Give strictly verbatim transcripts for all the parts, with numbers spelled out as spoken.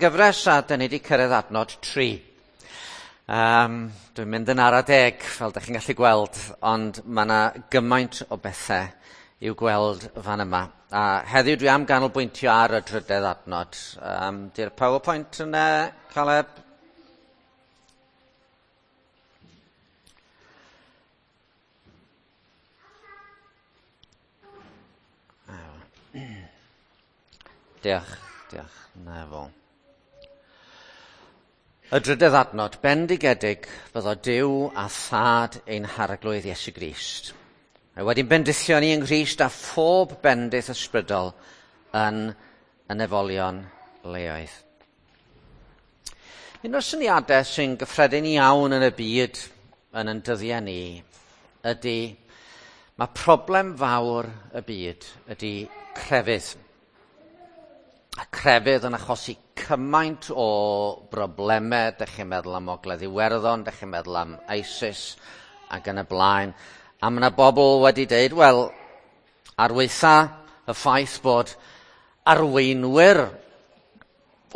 Gyfres a dyn ni wedi cyrraedd adnod tri. Um, dwi'n mynd yn ara deg, fel ydych chi'n gallu gweld, ond mae yna gymaint o bethau i'w gweld fan yma. A heddiw dwi am ganolbwyntio ar y drydedd adnod. Um, di'r PowerPoint yna, Caleb? Diolch, diolch. Na fo. Y drydedd adnod, bendigedig fyddo Duw a Thad ein Harglwydd Iesu Grist. Mae wedi'n bendithio ni yng Nghrist a phob bendith ysbrydol yn y nefolion leoedd. Un o'r syniadau sy'n gyffredin iawn yn y byd yn ein dyddiau ni ydy mae problem fawr y byd ydy crefydd. A crefydd yn achosi cymaint o broblemau, dych chi'n meddwl am Ogledd Iwerddon, dych chi'n meddwl am ISIS ac yn y blaen. A mae yna bobl wedi dweud, wel, ar weitha y ffaith bod arweinwyr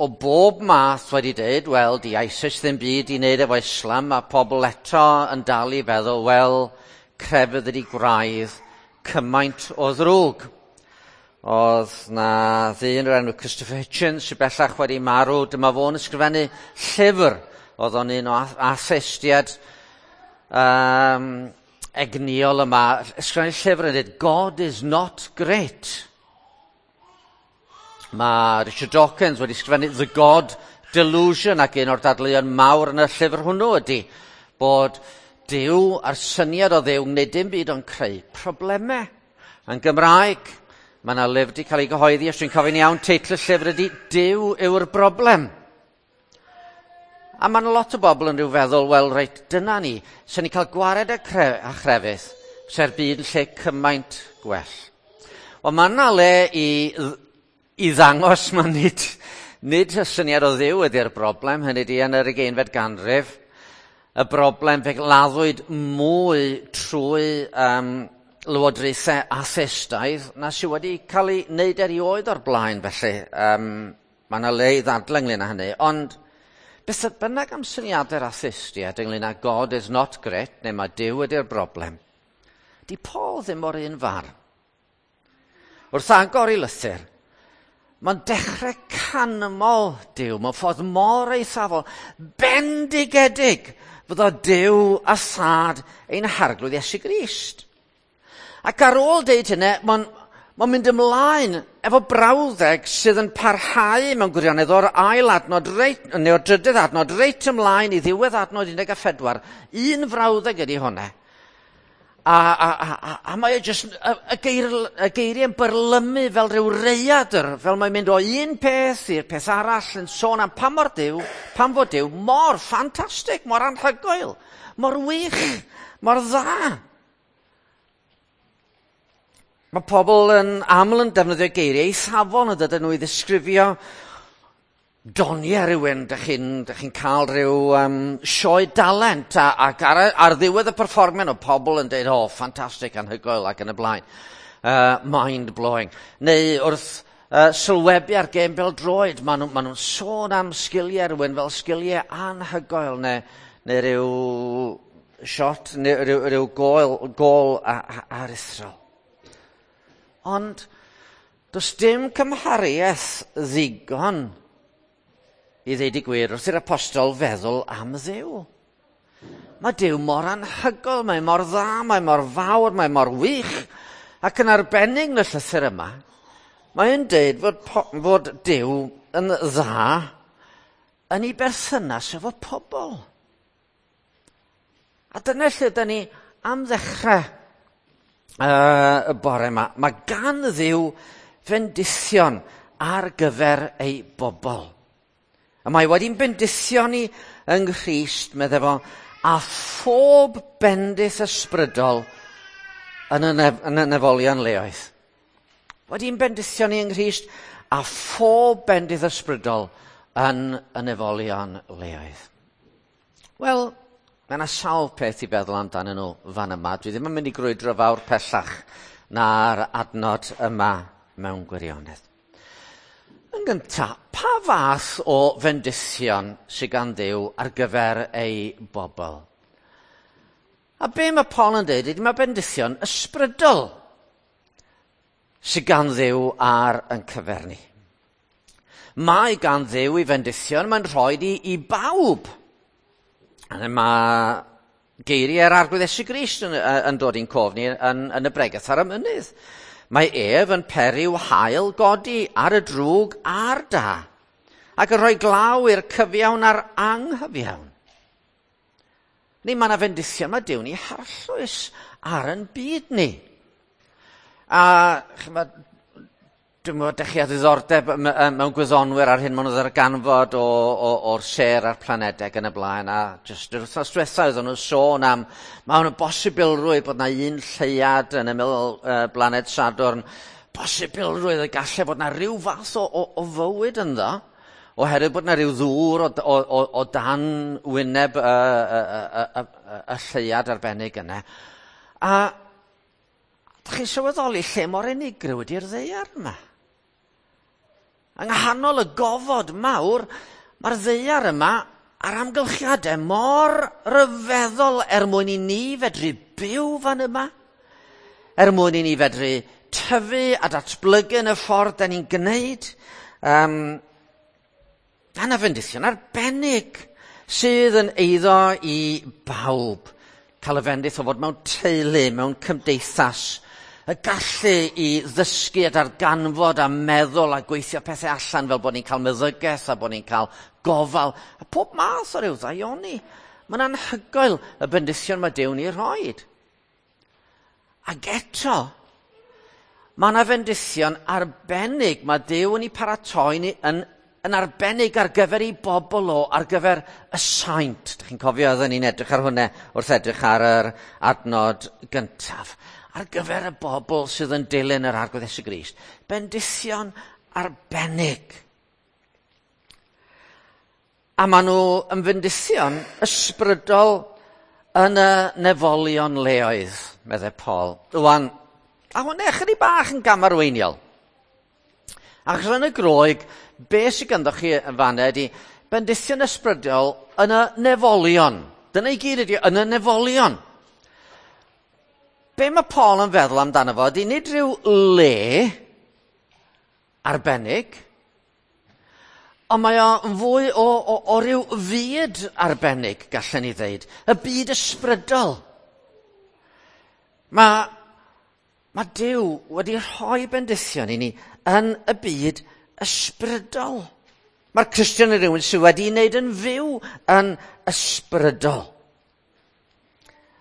o bob math wedi dweud, wel, di ISIS ddim byd i wneud efo Islam, a pobl eto yn dal i feddwl, wel, crefydd ydi gwraidd cymaint o ddrwg. Oedd na ddyn o'r enw Christopher Hitchens sydd bellach wedi marw. Dyma fo'n ysgrifennu llyfr. Oedd o'n un o atheistiaid um, egnïol yma. Ysgrifennu llyfr yn dweud, God is not great. Mae Richard Dawkins wedi ysgrifennu The God Delusion, ac un o'r dadleuon mawr yn y llyfr hwnnw ydy bod Duw a'r syniad o Dduw wneud dim byd ond creu problemau. Yn Gymraeg, mae yna lyfr wedi cael ei gyhoeddi, os dwi'n cofio'n iawn, teitl y llyfr ydy Duw yw'r broblem. A mae yna lot o bobl yn rhyw feddwl, wel, reit, dyna ni, sy'n ni cael gwared a, cre a chrefydd, se'r byd yn lle cymaint gwell. Wel, mae yna le i, i ddangos, mae nid, nid y syniad o Dduw ydy'r broblem, hynny ydy yn yr ugeinfed ganrif, y broblem fe laddwyd mwy trwy Um, lywodraethau atheistaidd na sydd wedi cael ei wneud erioed o'r blaen, felly um, mae yna le i ddadlau ynglyn â hynny. Ond beth bynnag am syniadau'r atheistiaid ynglyn â God is not great, neu mae Duw ydy'r broblem, di Paul ddim o'r un farn. Wrth agor ei lythyr, mae'n dechrau canmol Duw mewn ffordd mor eithafol, bendigedig fyddo Duw a Thad ein Harglwydd Iesu Grist. Ac ar ôl deud hynny, mae'n ma mynd ymlaen efo brawddeg sydd yn parhau mewn gwirionedd o'r ail adnod, reit, neu o'r drydydd adnod, reit ymlaen i ddiwedd adnod un deg pedwar. Un frawddeg ydy hwnna. A, a, a, a, a mae e jyst, y, y, geir, y geiriau yn byrlymu fel rhyw reiadr, fel mae'n mynd o un peth i'r peth arall yn sôn am pa mor Duw, pam fod Duw mor ffantastig, mor anhygoel, mor wych, mor dda. Mae pobl yn aml yn defnyddio geiriau eithafol yn dydyn nhw i ddisgrifio doniau rhywun. Dych chi'n chi cael rhyw um, sioe dalent a, ac ar, ar ddiwedd y perfformiad o pobl yn dweud, oh, ffantastig, anhygoel ac yn y blaen. Uh, mind-blowing. Neu wrth uh, sylwebu ar gêm bêl-droed, maen nhw'n ma nhw sôn am sgiliau rhywun fel sgiliau anhygoel neu, neu rhyw shot, neu rhyw, rhyw gôl, gôl aruthrol. Ond does dim cymhariaeth ddigon i ddeud y gwir wrth i'r apostol feddwl am Dduw. Mae Duw mor anhygoel, mae mor dda, mae mor fawr, mae mor wych. Ac yn arbennig yn y llythyr yma, mae'n deud fod, fod Duw yn dda yn ei berthynas efo pobl. A dyna lle da ni am ddechrau Uh, y bore yma. Mae gan Dduw fendithion ar gyfer ei bobl. A mae wedi'n bendithio ni yng Nghrist, meddai fo, a phob bendith ysbrydol yn y, nef, yn y nefolion leoedd. Wedi'n bendithio ni yng Nghrist a phob bendith ysbrydol yn y nefolion leoedd. Wel, mae yna sawl peth i feddwl amdanyn nhw fan yma. Dwi ddim yn mynd i grwydro fawr pellach na'r adnod yma mewn gwirionedd. Yn gyntaf, pa fath o fendithion sydd gan Dduw ar gyfer ei bobl? A be mae Paul yn dweud ydy mae bendithion ysbrydol sydd gan Dduw ar yn cyfer ni. Mae gan Dduw i fendithion, mae'n rhoi i, i bawb. A mae geiriau'r Arglwydd Iesu Grist yn, yn dod i'n cof ni yn, yn y bregath ar y mynydd. Mae ef yn peri'w haul godi ar y drwg a'r da, ac yn rhoi glaw i'r cyfiawn a'r anghyfiawn. Ni, mae yna fendithion mae Duw'n ei harllwys ar yn byd ni. A chymod, dwi'n meddwl, dych chi â ddiddordeb mewn gwyddonwyr ar hyn maen nhw ddarganfod o, o, o'r sêr a'r planedau yn y blaen. A jyst yr wythnos diwethaf oedden nhw'n sôn am, mae hwn yn bosibilrwydd bod yna un lleuad yn ymyl uh, blaned Sadwrn. Posibilrwydd y gallai bod yna rhyw fath o, o, o fywyd ynddo, oherwydd bod yna rhyw ddŵr o, o, o, o dan wyneb y, y, y, y, y, y lleuad arbennig yna. A ydych chi'n sylweddoli lle mor unigryw ydy'r ddaear yma? Yng nghanol y gofod mawr, mae'r ddaear yma a'r amgylchiadau mor ryfeddol er mwyn i ni fedru byw fan yma, er mwyn i ni fedru tyfu a datblygu yn y ffordd da ni'n gwneud. Um, a na fendithion arbennig sydd yn eiddo i bawb. Cael y fendith o fod mewn teulu, mewn cymdeithas, y gallu i ddysgu a darganfod a meddwl a gweithio pethau allan fel bod ni'n cael meddygaeth a bod ni'n cael gofal a pob math o ryw ddaioni. Mae'n anhygoel y bendithion mae Duw'n ei rhoid. Ac eto, mae yna fendithion arbennig mae Duw yn ei paratoi ni yn, yn arbennig ar gyfer ei bobl o, ar gyfer y saint. Dych chi'n cofio oedden ni'n edrych ar hwnna wrth edrych ar yr adnod gyntaf. Ar gyfer y bobl sydd yn dilyn yr Arglwydd Iesu Grist. Bendithion arbennig. A maen nhw yn fendithion ysbrydol yn y nefolion leoedd, meddai Paul. Rwan, a hwnna ychydig bach yn gamarweiniol. Achos yn y Groeg, be sydd ganddo chi yn fanna ydy bendithion ysbrydol yn y nefolion. Dyna i gyd ydy, yn y nefolion. Be mae Paul yn feddwl amdano fo ydy nid rhyw le arbennig, ond mae o'n fwy o, o, o ryw fyd arbennig, gallen ni ddeud. Y byd ysbrydol. Mae, mae Duw wedi rhoi bendithion i ni yn y byd ysbrydol. Mae'r Cristion yn rhywun sydd wedi wneud yn fyw yn ysbrydol.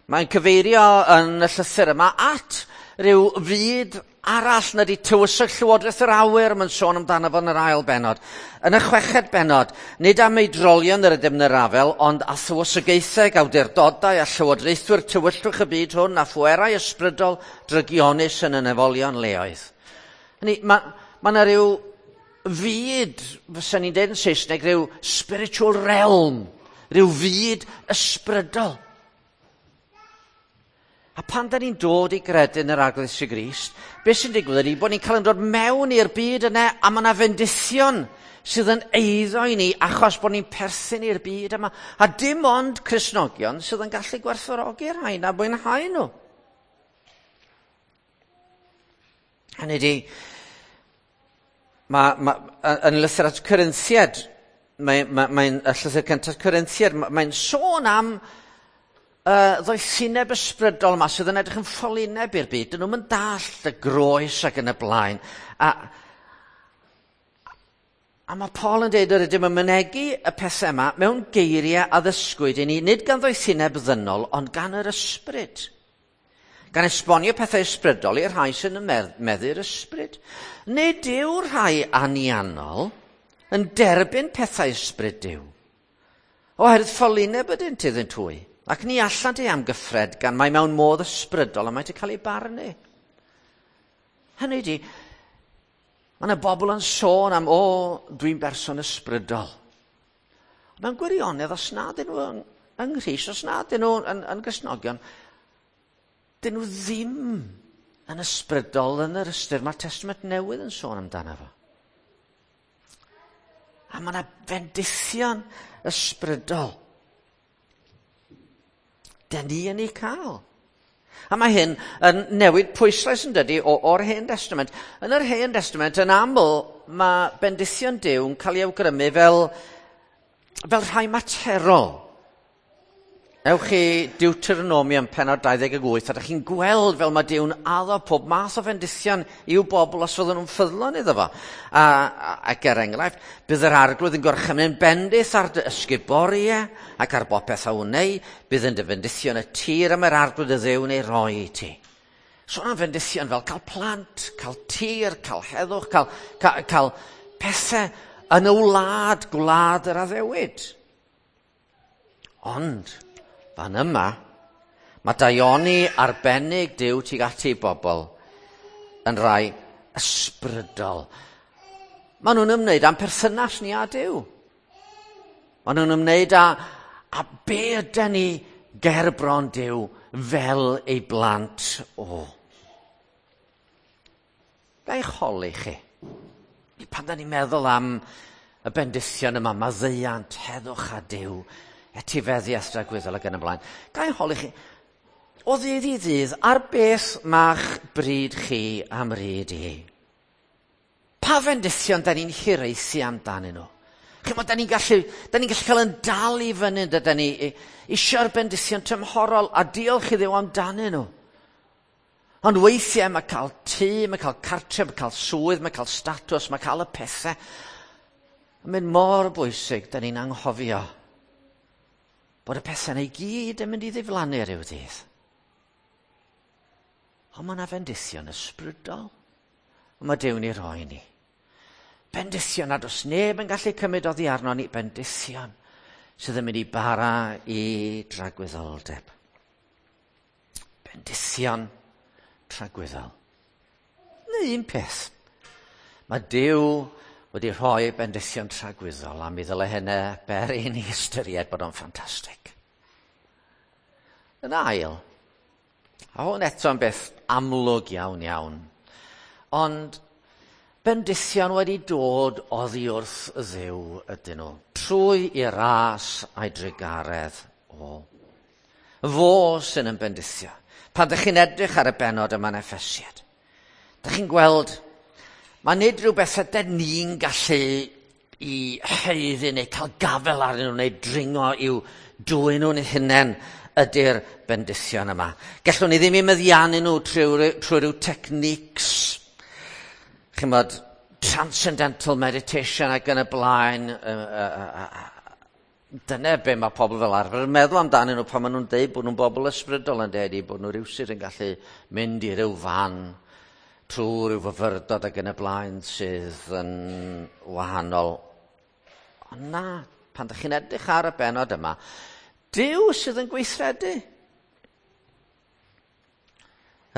Mae'n cyfeirio yn y llythyr yma at rhyw fyd arall na di tywysog Llywodraeth yr Awyr, mae'n sôn amdano fo yn yr ail bennod. Yn y chweched bennod, nid am eidrolion yr ydym yn yr afel, ond a thywysogaethau, awdurdodau a llywodraethwyr tywyllwch y byd hwn a phwerau ysbrydol drygionus yn y nefolion leoedd. Hynny, mae ma yna rhyw fyd, fysa ni'n deud yn Saesneg, rhyw spiritual realm, rhyw fyd ysbrydol. A pan da ni'n dod i gredu yn yr Arglwydd Iesu Grist, beth sy'n digwydd ydy bod ni'n cael yn dod mewn i'r byd yna, a mae yna fendithion sydd yn eiddo i ni achos bod ni'n perthyn i'r byd yma. A dim ond Cristnogion sydd yn gallu gwerthfawrogi'r rhain a mwynhau nhw. Hynny ydy, ma, ma, yn lythyr at Corinthiaid, mae'n mae, mae, y llythyr cyntaf Corinthiaid, mae'n sôn am Uh, ddoethineb ysbrydol yma sydd yn edrych yn ffolineb i'r byd. Dyn nhw'n mynd dallt y groes ac yn y blaen. A, a mae Paul yn dweud yr ydym yn mynegi y pethau yma mewn geiriau a ddysgwyd i ni, nid gan ddoethineb ddynol, ond gan yr ysbryd. Gan esbonio pethau ysbrydol i'r rhai sy'n meddu'r ysbryd. Nid yw'r rhai anianol yn derbyn pethau ysbryd Duw, oherwydd ffolineb ydynt iddynt hwy. Ac ni allant ei amgyffred gan mae mewn modd ysbrydol a mae wedi cael ei barnu. Hynny ydy, mae yna bobl yn sôn am, o, dwi'n berson ysbrydol. Mewn gwirionedd, os na dyn nhw yng, yng Nghrist, os na dyn nhw yn, yn Gristnogion, dyn nhw ddim yn ysbrydol yn yr ystyr mae'r Testament Newydd yn sôn amdano fo. A mae yna fendithion ysbrydol. Da ni yn ei cael. A mae hyn yn newid pwyslais yn dydy o'r Hen Testament. Yn yr Hen Testament, yn aml, mae bendithion Duw yn cael ei awgrymu fel, fel rhai materol. Ewch i Deuteronomium pennod dau ddeg wyth, a ydych chi'n gweld fel mae Duw'n addo pob math o fendithion i'w bobl os fydden nhw'n ffyddlon iddo fo. A, a, ac er enghraifft, bydd yr Arglwydd yn gorchymyn bendith ar dy ysguboriau ac ar bopeth a wnei, bydd yn dy fendithion y tir am yr Arglwydd y Dduw'n ei roi i ti. Sôn am fendithion fel cael plant, cael tir, cael heddwch, cael, cael, cael pethau yn y wlad, gwlad yr addewid. Ond fan yma, mae daioni arbennig Duw tuag at ei bobl yn rhai ysbrydol. Maen nhw'n ymwneud â'n perthynas ni â Duw. Maen nhw'n ymwneud â, â be ydan ni ger bron Duw fel ei blant o. Ga i holi chi? Pan da ni'n meddwl am y bendithion yma, maddeuant, heddwch a Duw, etifeddiaeth dragwyddol ac yn y blaen. Ga i holi chi, o ddydd i ddydd, ar beth ma'ch bryd chi am ryd i? Pa fendithion da ni'n hiraethu amdanyn nhw? Chimod, da ni'n gallu, da ni'n gallu cael yn dal i fyny, da ni eisiau'r bendithion tymhorol a diolch i Dduw amdanyn nhw. Ond weithiau mae cael tŷ, mae cael cartref, mae cael swydd, mae cael statws, mae cael y pethau. Yn mynd mor bwysig, da ni'n anghofio bod y pethau yna i gyd yn mynd i ddiflannu rhyw ddydd. Ond mae yna fendithion ysbrydol. Ond mae Duw'n ei roi ni. Bendithion nad oes neb yn gallu cymryd oddi arno ni. Bendithion sydd yn mynd i bara i dragwyddoldeb. Bendithion tragwyddol. Neu un peth. Mae Duw wedi rhoi bendithion tragwyddol, a mi ddyle hynny beri i ni ystyried bod o'n ffantastig. Yn ail, a hwn eto'n beth amlwg iawn iawn, ond bendithion wedi dod oddi wrth Dduw ydyn nhw, trwy i ras a'i drugaredd o. Fo sy'n yn bendithio. Pan ydych chi'n edrych ar y bennod yma'n Effesiad, ydych chi'n gweld mae nid rhywbeth ydyn ni'n gallu i haeddu neu cael gafel arnyn nhw neu dringo i'w dwyn nhw'n hunain ydy'r bendithion yma. Gallwn ni ddim i meddiannu nhw trwy, trwy rhyw techniques, chimod, transcendental meditation ac yn y blaen. Dyna be mae pobl fel arfer yn meddwl amdanyn nhw pan maen nhw'n deud bod nhw'n bobl ysbrydol yn deud bod nhw rhywsut yn gallu mynd i ryw fan trwy ryw fyfyrdod ac yn y blaen sydd yn wahanol. Ond na, pan ydych chi'n edrych ar y bennod yma, Duw sydd yn gweithredu.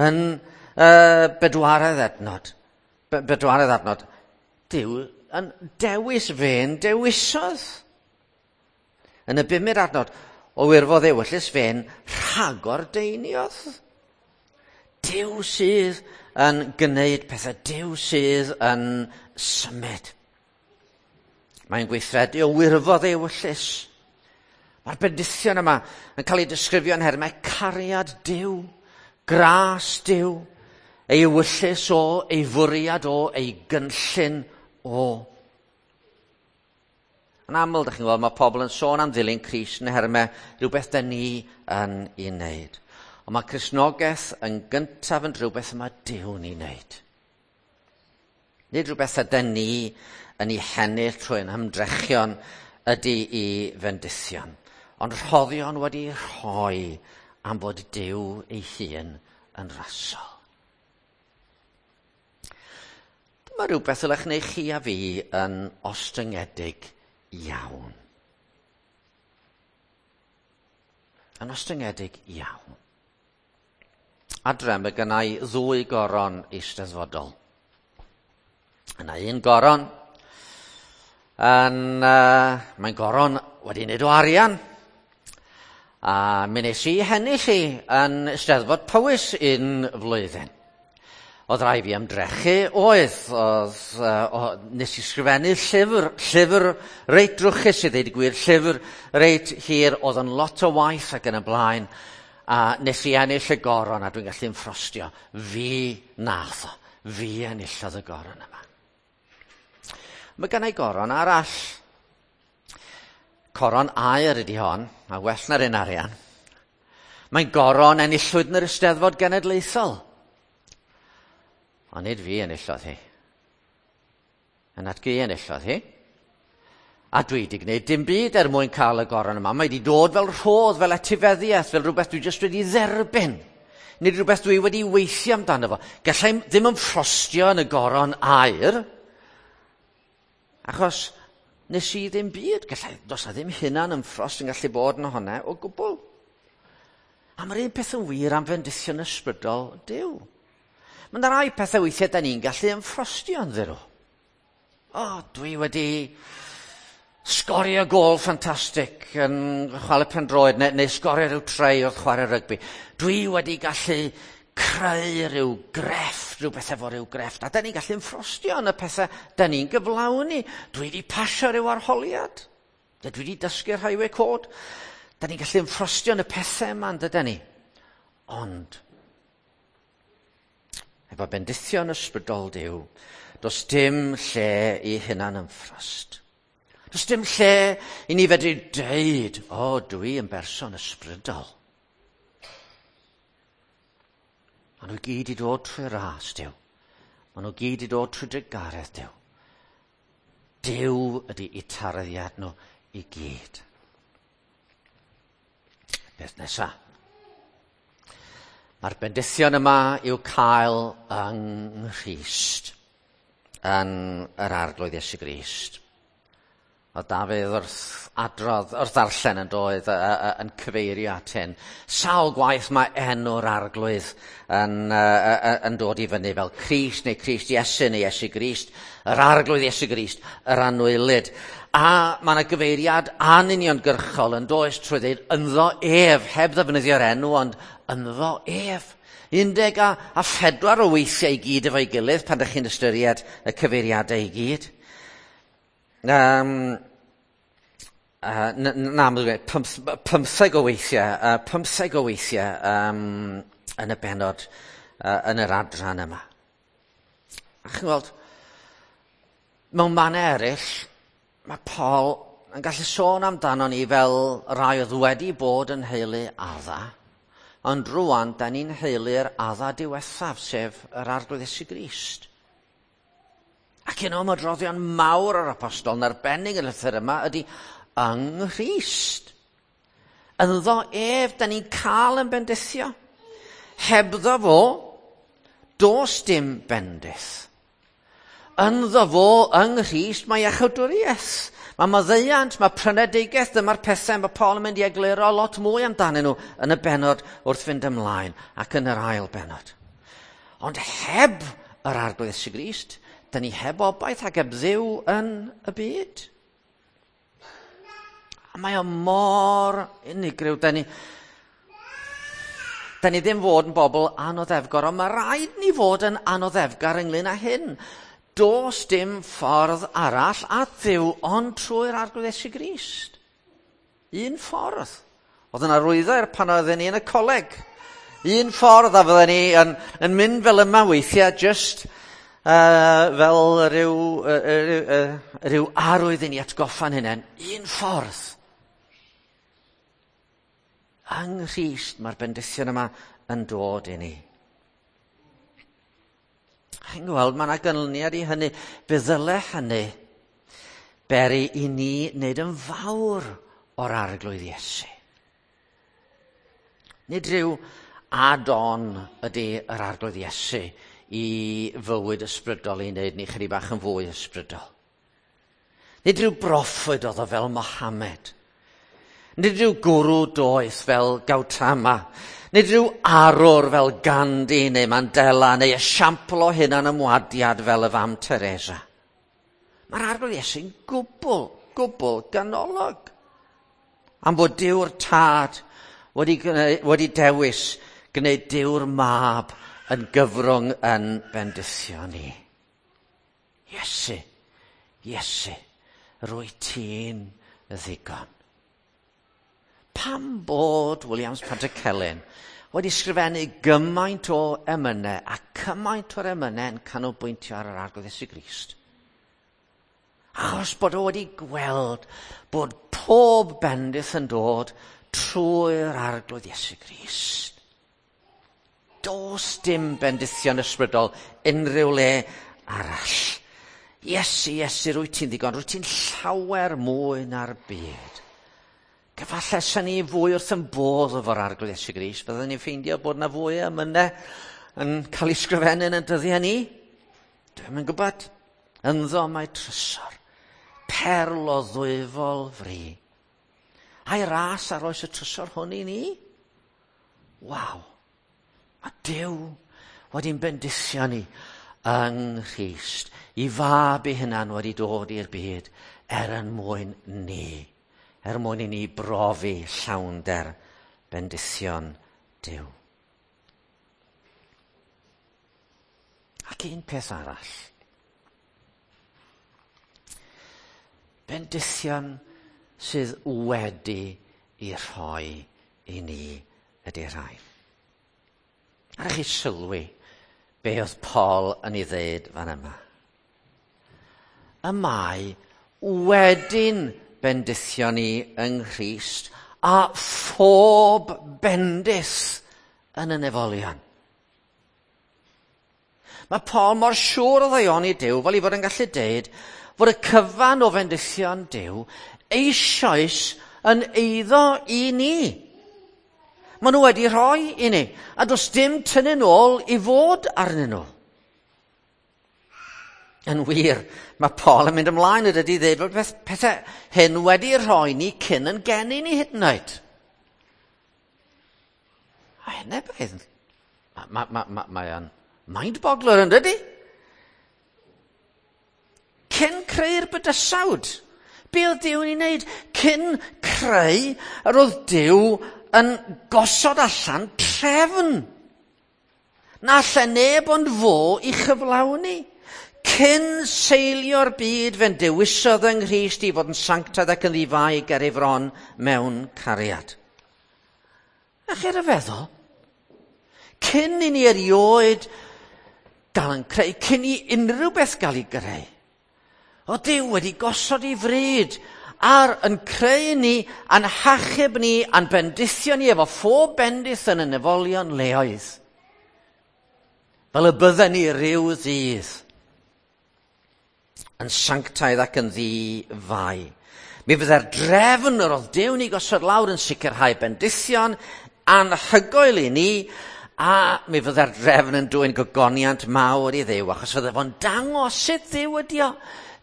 Yn uh, bedwaredd adnod, be bedwaredd adnod, Duw yn dewis fe'n dewisodd. Yn y bumed adnod, o wirfodd ewyllys fe'n rhagordeiniodd. Duw sydd yn gwneud pethau, Duw sydd yn symud. Mae'n gweithredu o wirfodd ewyllys. Mae'r bendithion yma yn cael ei disgrifio yn nhermau cariad Duw, gras Duw, ei ewyllys o, ei fwriad o, ei gynllun o. Yn aml, dych chi'n gweld, mae pobl yn sôn am ddilyn Crist yn nhermau rhywbeth da ni yn ei wneud. Ond mae Cristnogaeth yn gyntaf yn rhywbeth mae Duw'n ei wneud. Nid rhywbeth ydyn ni yn ei hennill trwy'n hymdrechion ydy i fendithion, ond rhoddion wedi rhoi am fod Duw ei hun yn rasol. Dyma rhywbeth ylech neu chi a fi yn ostyngedig iawn. Yn ostyngedig iawn. Adre, mae gennai ddwy goron eisteddfodol. Yna un goron, yn, uh, mae'n goron wedi wneud o arian. A mi nes i hennill i yn Eisteddfod Powys un flwyddyn. Oedd rai fi ymdrechu, oedd, oedd uh, o, nes i sgrifennu llyfr, llyfr reit drwchus i ddweud y gwir, llyfr reit hir, oedd yn lot o waith ac yn y blaen, a nes i ennill y goron a dwi'n gallu ymffrostio. Fi nath o, fi enillodd y goron yma. Mae gennau goron arall. Coron aur ydy hon, a well na'r un arian. Mae'n goron enillwyd yn yr Eisteddfod Genedlaethol. Ond nid fi enillodd hi. Yn atgu enillodd hi. A dwi wedi gwneud dim byd er mwyn cael y goron yma. Mae wedi dod fel rhodd, fel etifeddiaeth, fel rhywbeth dwi jyst wedi dderbyn. Nid rhywbeth dwi wedi weithio amdano fo. Gallai ddim ymffrostio yn y goron aur, achos nes i ddim byd. Gallai, does na ddim hunan ymffrost yn gallu bod yn hwnna o gwbl. A mae'r un peth yn wir am fendithion ysbrydol Duw. Mae yna rai pethau weithiau da ni'n gallu ymffrostio ynddyn nhw. O, dwi wedi sgorio gôl ffantastig yn chwarae pêl-droed neu, neu sgorio rhyw try wrth chwarae rygbi. Dwi wedi gallu creu rhyw grefft, rhywbeth efo rhyw grefft. A da ni'n gallu ymffrostio yn y pethau da ni'n gyflawni. Dwi wedi pasio rhyw arholiad. Dwi wedi dysgu'r highway code. Da ni'n gallu ymffrostio yn y pethau yma, yndydan ni? Ond, efo bendithion ysbrydol Duw, does dim lle i hunan ymffrost. Does dim lle i ni fedru deud, o, dwi yn berson ysbrydol. Maen nhw gyd i dod trwy ras, Duw. Maen nhw gyd i dod trwy drugaredd, Duw. Duw ydy eu tarddiad nhw i gyd. Beth nesa? Mae'r bendithion yma i'w cael yng Nghrist, yn yr Arglwydd Iesu Grist. Oedd Dafydd wrth adrodd, wrth ddarllen yn doedd, yn cyfeirio at hyn. Sawl gwaith mae enw'r Arglwydd yn, yn dod i fyny fel Crist neu Crist Iesu neu Iesu Grist, yr Arglwydd Iesu Grist, yr anwylyd. A mae yna gyfeiriad anuniongyrchol yn does trwy ddeud ynddo ef, heb ddefnyddio'r enw, ond ynddo ef. Undeg a, a phedwar o weithiau i gyd efo'i gilydd pan ydych chi'n ystyried y cyfeiriadau i gyd. Um, uh, na, pymtheg o weithiau, uh, pymtheg o weithiau um, yn y bennod, uh, yn yr adran yma. A chi'n gweld, mewn mannau eraill, mae Paul yn gallu sôn amdano ni fel rai oedd wedi bod yn heulu Adda, ond rwan, da ni'n heulu'r Adda diwethaf, sef yr Arglwydd Iesu Grist. Ac un o ymroddion mawr yr apostol yn arbennig yn y llythyr yma ydy yng Nghrist. Ynddo ef, da ni'n cael yn bendithio. Hebddo fo, does dim bendith. Ynddo fo, yng Nghrist, mae iachawdwriaeth. Mae maddeuant, mae prynedigaeth, dyma'r pethau mae Paul yn mynd i egluro lot mwy amdanyn nhw yn y bennod wrth fynd ymlaen ac yn yr ail bennod. Ond heb yr Arglwydd Iesu Grist, da ni heb obaith ac heb Dduw yn y byd. A mae o mor unigryw. Da ni, da ni ddim fod yn bobl anoddefgar, ond mae rhaid ni fod yn anoddefgar ynglyn â hyn. Does dim ffordd arall at Dduw ond trwy'r Arglwydd Iesu Grist. Un ffordd. Oedd yna arwyddair pan oedden ni yn y coleg. Un ffordd a fydden ni yn, yn mynd fel yma weithiau, just uh, fel rhyw, uh, rhyw, uh, rhyw arwydd i ni atgoffa'n hunain. Un ffordd. Yng Nghrist mae'r bendithion yma yn dod i ni. Chi'n gweld, mae yna ganlyniad i hynny. Fe ddyle hynny beri i ni wneud yn fawr o'r Arglwydd Iesu. Nid rhyw add-on ydy yr Arglwydd Iesu i fywyd ysbrydol i wneud ni chydig bach yn fwy ysbrydol. Nid rhyw broffwyd oedd o fel Mohammed. Nid rhyw gwrw doeth fel Gautama. Nid rhyw arwr fel Gandhi neu Mandela neu esiampl o hunan ymwadiad fel y fam Teresa. Mae'r Arglwydd Iesu'n gwbl, gwbl ganolog. Am fod Duw'r Tad wedi, wedi dewis gwneud Duw'r Mab yn gyfrwng yn bendithio ni. Iesu, Iesu, rwy ti'n ddigon. Pam bod Williams Pantycelyn wedi sgrifennu gymaint o emynau a cymaint o'r emynau yn canolbwyntio ar yr Arglwydd Iesu Grist? Achos bod o wedi gweld bod pob bendith yn dod trwy'r Arglwydd Iesu Grist. Does dim bendithion ysbrydol unrhyw le arall. Iesu, Iesu, rwy ti'n ddigon, rwy ti'n llawer mwy na'r byd. Efallai sy'n ni fwy wrth yn bodd efo'r Arglwydd Iesu Grist, byddwn ni'n ffeindio bod na fwy o emynau yn cael ei sgrifennu yn y dyddiau ni. Dwi'm yn gwybod. Ynddo mae trysor, perl o ddwyfol fri. A'i ras ar oes y trysor hwn i ni? Waw! Mae Duw wedi'n bendithio ni yng Nghrist. I fab ei hunan wedi dod i'r byd er yn mwyn ni. Er mwyn i ni brofi llawnder bendithion Duw. Ac un peth arall. Bendithion sydd wedi i rhoi i ni ydy'r rhain. Ar chi sylwi be oedd Paul yn ei ddeud fan yma. Y mae wedi'n bendithio ni yng Nghrist a phob bendith yn y nefolion. Mae Paul mor siŵr o ddaioni Duw fel ei fod yn gallu deud fod y cyfan o fendithion Duw eisoes yn eiddo i ni. Maen nhw wedi rhoi i ni, a does dim tynnu nôl i fod arnyn nhw. Yn wir, mae Paul yn mynd ymlaen y dydy ddeud bod peth, pethau hyn wedi rhoi ni cyn yn geni ni hyd yn oed. A hynny beth, mae ma, ma, ma, mae o'n mind-boggler yn dydy? Cyn creu'r bydysawd, be oedd Duw yn ei wneud? Cyn creu, yr oedd Duw yn gosod allan trefn. Na lle neb ond fo i chyflawni. Cyn seilio'r byd fe'n dewisodd yng Nghrist i fod yn sanctaidd ac yn ddifai ger ei fron mewn cariad. A chi'n rhyfeddol? Cyn i ni erioed gael yn creu, cyn i unrhyw beth gael ei greu, o Duw wedi gosod ei fryd ar yn creu ni, a'n hachub ni, a'n bendithio ni efo phob bendith yn y nefolion leoedd. Fel y bydden ni ryw ddydd yn sanctaidd ac yn ddi-fai. Mi fydde'r drefn yr oedd Duw ni gosod lawr yn sicrhau bendithion anhygoel i ni, a mi fydde'r drefn yn dwyn gogoniant mawr i Dduw, achos fydde fo'n dangos sut Dduw ydi o.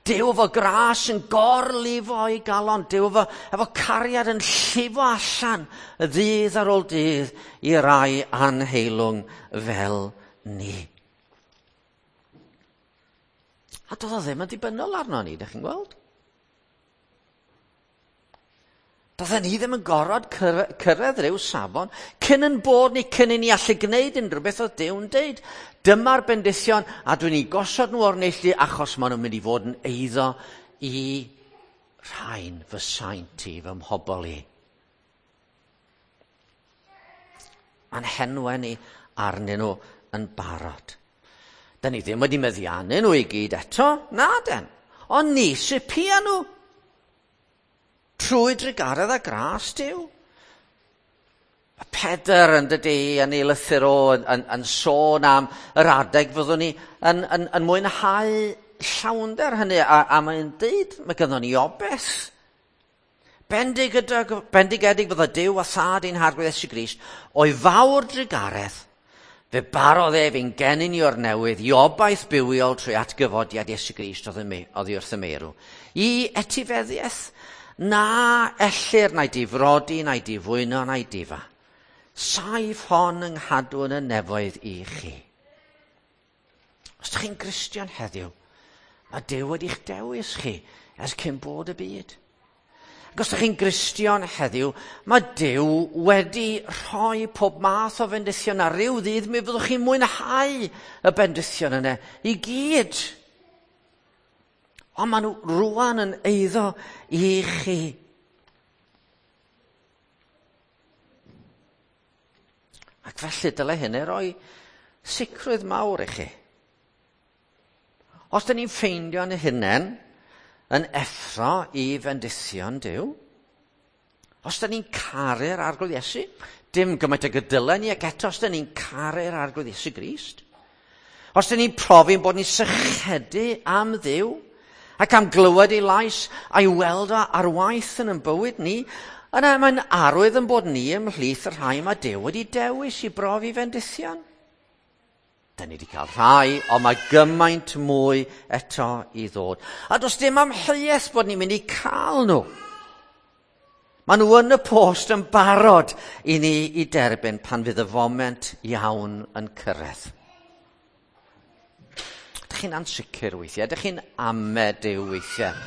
Duw efo gras yn gorlifo i galon, Duw efo, efo cariad yn llifo allan y ddydd ar ôl dydd i rai anheilwng fel ni. A doedd o ddim yn dibynnol arno ni, ydych chi'n gweld? Doedden ni ddim yn gorfod cyrraedd rhyw safon cyn yn bod ni, cyn i ni allu gwneud unrhyw beth oedd Duw'n deud. Dyma'r bendithion a dwi'n ei gosod nhw o'r neilltu achos maen nhw'n mynd i fod yn eiddo i rhain fy saint i, fy mhobol i. Mae'n henwe ni arnyn nhw yn barod. Da ni ddim wedi meddiannu nhw i gyd eto, na den. Ond ni sy'n pia nhw. Trwy drugaredd a gras Duw. Mae Pedr yn dydy yn ei lythyr o yn, yn, yn sôn am yr adeg fyddwn ni yn, yn, yn mwynhau llawnder hynny, a, a mae'n deud mae gynnon ni obaith. Bendigedig, bendigedig fydda Duw a Thad ein Harglwydd Iesu Grist o'i fawr drugaredd, fe barodd ef ein geni ni o'r newydd i obaith bywiol trwy atgyfodiad Iesu Grist oddi wrth y meirw, i etifeddiaeth na ellir na'i difrodi, na'i difwyno, na'i difa. Saif hon yng nghadw yn y nefoedd i chi. Os ydych chi'n Gristion heddiw, mae Duw wedi'ch dewis chi ers cyn bod y byd. Ac os ydych chi'n Gristion heddiw, mae Duw wedi rhoi pob math o fendithion ar ryw ddydd, mi fyddwch chi'n mwynhau y bendithion yna i gyd. Ond maen nhw rwan yn eiddo i chi. Ac felly dylai hynny roi sicrwydd mawr i chi. Os dyn ni'n ffeindio'n hunain yn effro i fendithion Duw, os dyn ni'n caru'r Arglwydd Iesu, dim gymaint ag y dylen ni, ac eto os dyn ni'n caru'r Arglwydd Iesu Grist, os dyn ni'n profi'n bod ni'n sychedu am Dduw, ac am glywed ei lais a'i weld o ar waith yn ein bywyd ni, yna mae'n arwydd yn bod ni ymhlith y rhai mae Duw wedi dewis i brofi fendithion. Da ni wedi cael rhai, ond mae gymaint mwy eto i ddod. A does dim amheuaeth bod ni'n mynd i cael nhw. Maen nhw yn y post yn barod i ni i derbyn pan fydd y foment iawn yn cyrraedd. Ydych chi'n ansicr weithiau? Ydych chi'n ame Duw weithiau?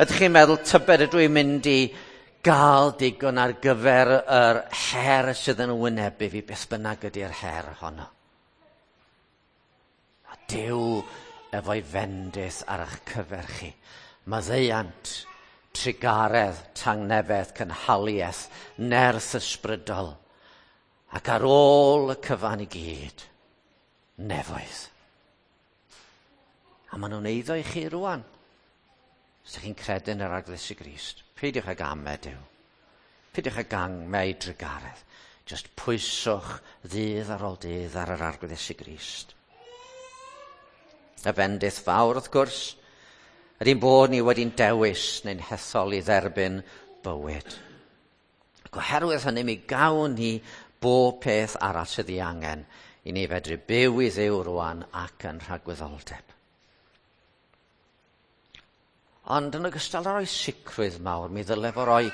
Ydych chi'n meddwl tybed ydw i'n mynd i gael digon ar gyfer yr her sydd yn wynebu fi, beth bynnag ydy'r her honno? A Duw efo'i fendith ar eich cyfer chi. Maddeuant, trugaredd, tangnefedd, cynhaliaeth, nerth ysbrydol, ac ar ôl y cyfan i gyd, nefoedd. A maen nhw'n eiddo i chi rwan. Os ydych chi'n credu yn yr Arglwydd Iesu Grist, peidiwch ag ame Duw. Peidiwch ag ame ei drugaredd. Just pwyswch ddydd ar ôl dydd ar yr Arglwydd Iesu Grist. Y fendith fawr, wrth gwrs, ydy'n bod ni wedi'n dewis neu'n hethol i dderbyn bywyd. Ac oherwydd hynny, mi gawn ni bob peth arall sydd ei angen i ni fedru byw i Dduw rwan ac yn rhagwyddoldeb. Ond yn ogystal â rhoi sicrwydd mawr, mi ddyle fo roi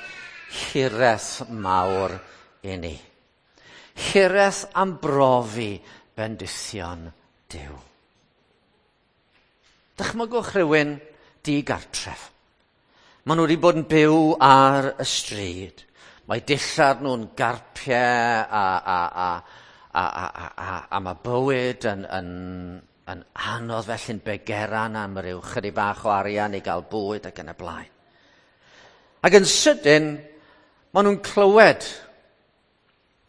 hiraeth mawr i ni. Hiraeth am brofi bendithion Duw. Dychmygwch rhywun digartref. Maen nhw wedi bod yn byw ar y stryd. Mae dillad nhw'n garpiau a, a, a, a, a, a, a, a mae bywyd yn, yn, yn anodd felly'n begeran am ryw chydig bach o arian i gael bwyd ac yn y blaen. Ac yn sydyn, maen nhw'n clywed.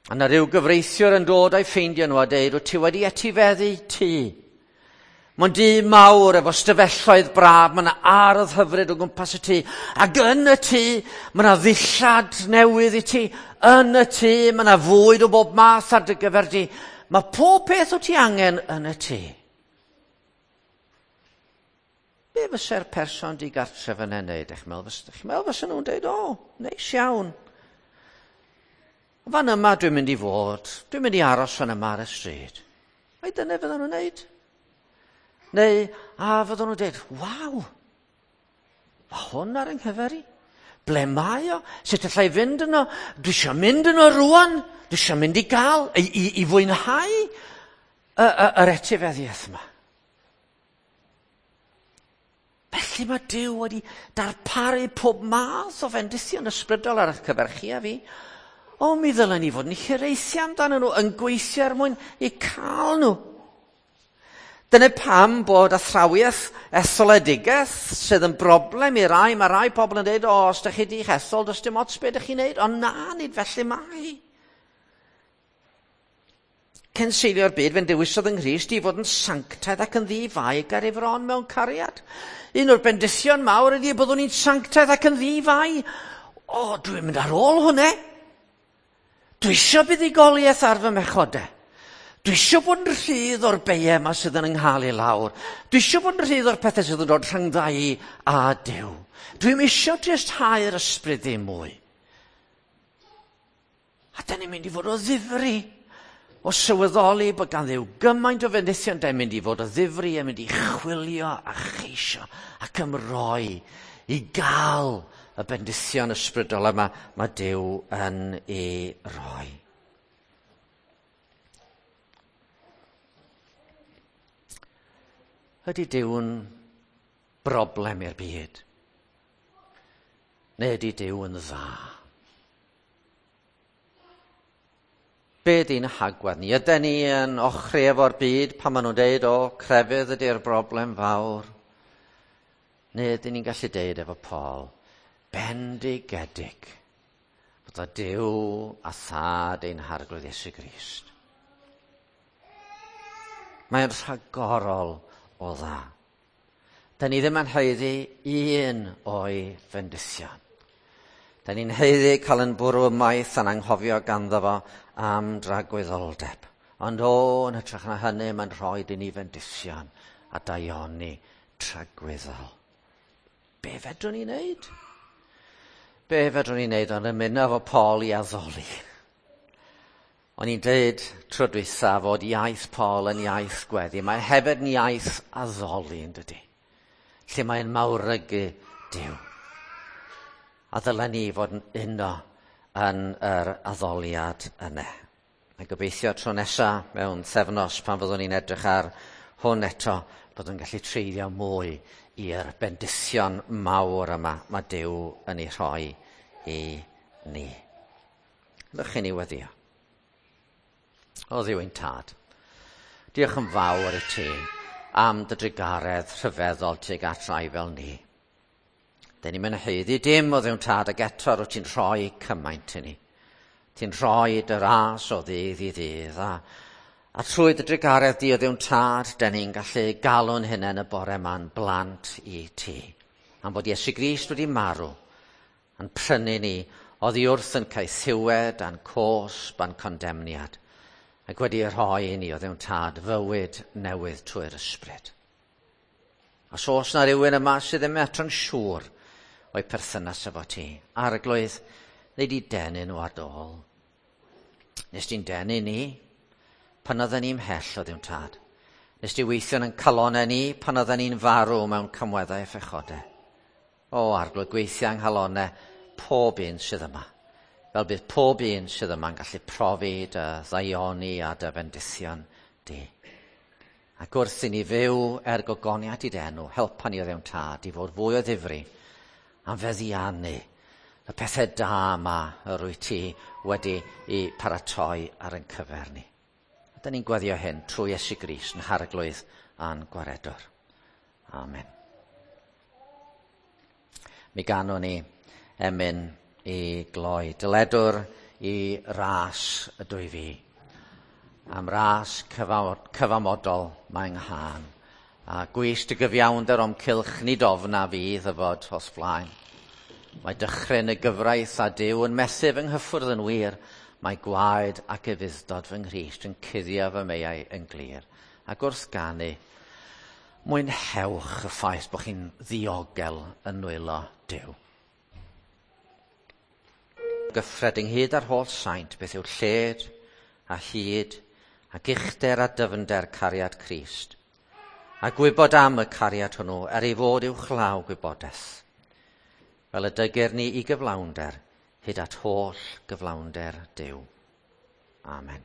A na ryw gyfreithiwr yn dod a'i ffeindio nhw a deud, wyt ti wedi etifeddu tŷ. Mae'n dŷ mawr efo stafelloedd braf, mae yna ardd hyfryd o gwmpas y tŷ. Ac yn y tŷ, mae yna ddillad newydd i ti. Yn y tŷ, mae yna fwyd o bob math ar dy gyfer di. Mae pob peth o ti angen yn y tŷ. Be fysa'r person digartref yn ei wneud? Ych meddwl, ych meddwl fysa nhw'n deud, o, neis iawn. Fan yma dwi'n mynd i fod, dwi'n mynd i aros fan yma ar y stryd. Ai dyna fyddan nhw'n wneud? Neu, a fyddan nhw'n dweud, waw, mae hwn ar yng nghyfer i. Ble mae o? Sut allai fynd yno? Dwi eisiau mynd yno rwan. Dwi eisiau mynd i gael, i, i, i fwynhau y, y, yr etifeddiaeth yma. Felly mae Duw wedi darparu pob math o fendithion ysbrydol ar eich cyfer chi a fi. O, mi ddylen ni fod yn hiraethu amdanyn nhw, yn gweithio er mwyn i cael nhw. Dyna pam bod athrawiaeth etholedigaeth sydd yn broblem i rai. Mae rai pobl yn dweud, o, os ydych chi di'ch ethol, does dim ots beth ydych chi'n neud. Ond na, nid felly mae. Cyn seilio'r byd, fe'n dewisodd yng Nghrist i fod yn sanctaidd ac yn ddi-fai ar ei fron mewn cariad. Un o'r bendithion mawr ydy byddwn ni'n sanctaidd ac yn ddi-fai. O, dwi'n mynd ar ôl hwnna. Dwi eisiau buddugoliaeth ar fy mhechodau. Dwi eisiau bod yn rhydd o'r beiau yma sydd yn ynghael i lawr. Dwi eisiau bod yn rhydd o'r pethau sydd yn dod rhyngdda i a Duw. Dwi'm eisiau dristau'r ysbryd ddim mwy. A da ni'n mynd i fod o ddifri. O sylweddoli bod gan Dduw gymaint o fendithion, da ni'n mynd i fod o ddifri a mynd i chwilio a cheisio ac ymroi i gael y bendithion ysbrydol yma mae Duw yn ei roi. Ydy Duw'n broblem i'r byd? Neu ydy Duw yn dda? Be ydy'n hagwedd ni? Ydy ni yn ochri efo'r byd pan maen nhw'n deud, o, crefydd ydy'r broblem fawr? Neu ydyn ni'n gallu deud efo Paul, bendigedig fod o Duw a Thad ein Harglwydd Iesu Grist. Mae'n rhagorol o dda. Da ni ddim yn haeddu un o'i fendithion. Da ni'n haeddu cael yn bwrw ymaith a'n anghofio ganddo fo am dragwyddoldeb. Ond o, yn hytrach na hynny, mae'n rhoi i ni fendithion a daioni tragwyddol. Be fedrwn ni wneud? Be fedrwn ni wneud ond ymuno efo Paul i addoli? O'n i'n dweud tro dwytha fod iaith Paul yn iaith gweddi. Mae hefyd yn iaith addoli, yn dydy? Lle mae'n mawrygu Duw. A ddylen ni fod yn uno yn yr addoliad yna. A gobeithio tro nesa mewn thefnos pan fyddwn ni'n edrych ar hwn eto, byddwn yn gallu treulio mwy i'r bendithion mawr yma mae Duw yn ei rhoi i ni. Ydych chi'n ei weddio? O Dduw ein Tad, diolch yn fawr i ti am dy drugaredd rhyfeddol tuag at rai fel ni. Dyn ni'n mynd haeddu dim o Dduw'n Tad, ac eto rwyt ti'n rhoi cymaint i ni. Ti'n rhoi dy ras o ddydd i ddydd, a, a trwy dy drugaredd di o Dduw'n Tad, dyn ni'n gallu galw'n hunain y bore ma'n blant i ti. Am bod Iesu Grist wedi marw, yn prynu ni oddi wrth yn caethiwed a'n cosb a'n condemniad, ac wedi rhoi i ni o Dduw'n Tad fywyd newydd trwy'r ysbryd. Os oes na rhywun yma sydd ddim eto'n siŵr o'i perthynas efo ti, Arglwydd, neu di denu nhw ar dôl. Nes di'n denu ni pan oedden ni'n mhell o Dduw'n Tad. Nes di weithio yn calonau ni pan oedden ni'n farw mewn camweddau a phechodau. O, Arglwydd, gweithio yng nghalonau pob un sydd yma. Fel bydd pob un sydd yma'n gallu profi dy ddaioni a dy fendithion di. Ac wrth i ni fyw er gogoniad i dy enw, helpa ni o Dduw'n Tad i fod fwy o ddifri am feddiannu y pethau da yma yr wyt ti wedi i paratoi ar ein cyfer ni. A da ni'n gweddio hyn trwy Iesu Grist yn Harglwydd a'n Gwaredwr. Amen. Mi ganwn ni emyn i gloi. Dyledwr i ras ydw i fi. Am ras cyfamodol mae 'nghân. A gwys dy gyfiawnder o'm cylch nid ofna fi ddyfod os flaen. Mae dychryn y gyfraith a Duw yn methu fy nghyffwrdd yn wir. Mae gwaed ac ufudd-dod fy Nghrist yn cuddio fy meiau yn glir. Ac wrth ganu, mwynhewch y ffaith bod chi'n ddiogel yn nwylo Duw. Gyffred ynghyd â'r holl saint beth yw lled a hyd ac uchder a dyfnder cariad Crist. A gwybod am y cariad hwnnw er ei fod uwchlaw gwybodaeth. Fel y dygir ni i gyflawnder, hyd at holl gyflawnder Duw. Amen.